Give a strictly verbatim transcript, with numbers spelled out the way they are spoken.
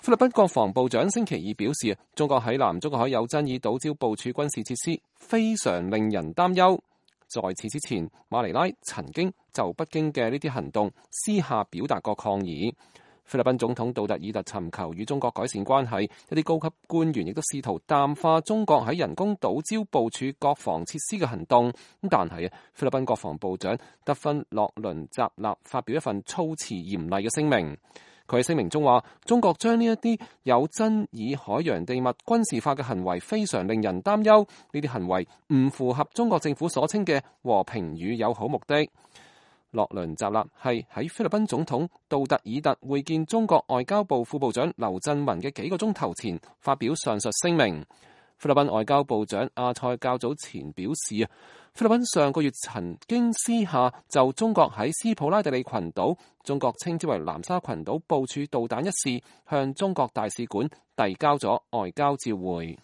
菲律賓國防部長星期二表示，中國喺南中國海有爭議島礁部署軍事設施，非常令人擔憂。在此之前，馬尼拉曾經就北京嘅呢啲行動私下表達過抗議。菲律賓總統杜特爾特尋求與中國改善關係，一啲高級官員亦都試圖淡化中國喺人工島礁部署國防設施嘅行動。但係菲律賓國防部長德芬洛倫扎納發表一份措辭嚴厲嘅聲明。佢喺聲明中話，中國將呢一啲有爭議海洋地物軍事化嘅行為非常令人擔憂，呢啲行為唔符合中國政府所稱嘅和平與友好目的。洛倫扎納係喺菲律賓總統杜特爾特會見中國外交部副部長劉振文嘅幾個鐘頭前發表上述聲明。菲律賓外交部長阿塞較早前表示啊，菲律賓上個月曾經私下就中國喺斯普拉特里群島，中國稱之為南沙群島部署導彈一事，向中國大使館遞交咗外交照會。